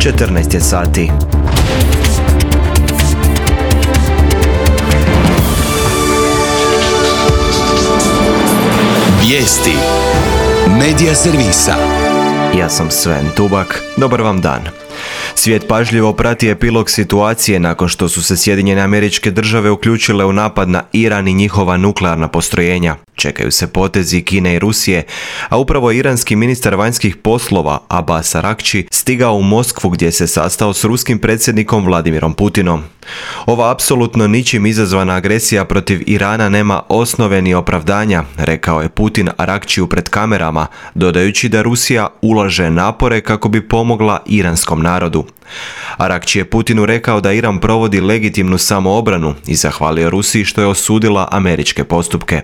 14 je sati. Vijesti Medija servisa. Ja sam Sven Tubak. Dobar vam dan. Svijet pažljivo prati epilog situacije nakon što su se Sjedinjene Američke Države uključile u napad na Iran i njihova nuklearna postrojenja. Čekaju se potezi Kine i Rusije, a upravo iranski ministar vanjskih poslova Abbas Araghchi stigao u Moskvu gdje se sastao s ruskim predsjednikom Vladimirom Putinom. Ova apsolutno ničim izazvana agresija protiv Irana nema osnove ni opravdanja, rekao je Putin Araghchiju pred kamerama, dodajući da Rusija ulaže napore kako bi pomogla iranskom narodu. Araghchi je Putinu rekao da Iran provodi legitimnu samoobranu i zahvalio Rusiji što je osudila američke postupke.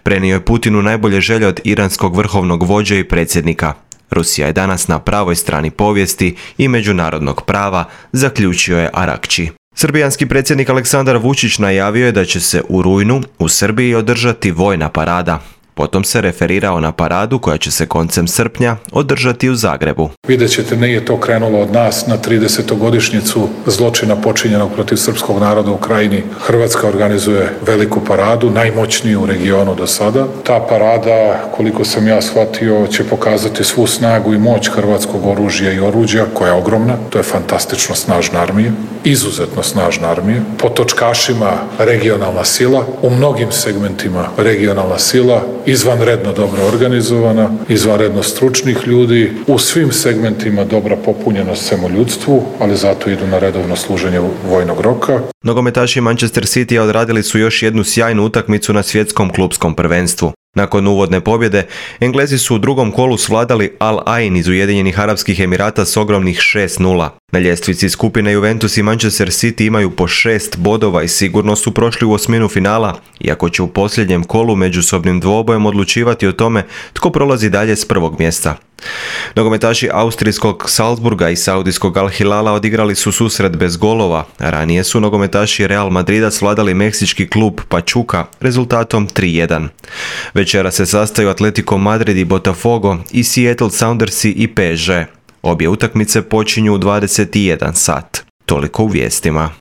Prenio je Putinu najbolje želje od iranskog vrhovnog vođe i predsjednika. Rusija je danas na pravoj strani povijesti i međunarodnog prava, zaključio je Araghchi. Srbijanski predsjednik Aleksandar Vučić najavio je da će se u rujnu u Srbiji održati vojna parada. Potom se referirao na paradu koja će se koncem srpnja održati u Zagrebu. Vidjet ćete, nije to krenulo od nas na 30-godišnjicu zločina počinjenog protiv srpskog naroda u Krajini. Hrvatska organizuje veliku paradu, najmoćniju u regionu do sada. Ta parada, koliko sam ja shvatio, će pokazati svu snagu i moć hrvatskog oružja i oruđa, koja je ogromna. To je fantastično snažna armija, izuzetno snažna armija. Po točkašima regionalna sila, u mnogim segmentima regionalna sila, izvanredno dobro organizovana, izvanredno stručnih ljudi, u svim segmentima dobra popunjenost samoljudstvu, ali zato idu na redovno služenje vojnog roka. Nogometaši Manchester City odradili su još jednu sjajnu utakmicu na svjetskom klupskom prvenstvu. Nakon uvodne pobjede, Englezi su u drugom kolu svladali Al Ain iz Ujedinjenih Arapskih Emirata s ogromnih 6:0. Na ljestvici skupine Juventus i Manchester City imaju po 6 bodova i sigurno su prošli u osminu finala, iako će u posljednjem kolu međusobnim dvobojem odlučivati o tome tko prolazi dalje s prvog mjesta. Nogometaši austrijskog Salzburga i saudijskog Al Hilala odigrali su susret bez golova, a ranije su nogometaši Real Madrida svladali meksički klub Pachuca rezultatom 3:1. Večera se sastaju Atletico Madrid i Botafogo i Seattle Soundersi i PSG. Obje utakmice počinju u 21 sat. Toliko u vijestima.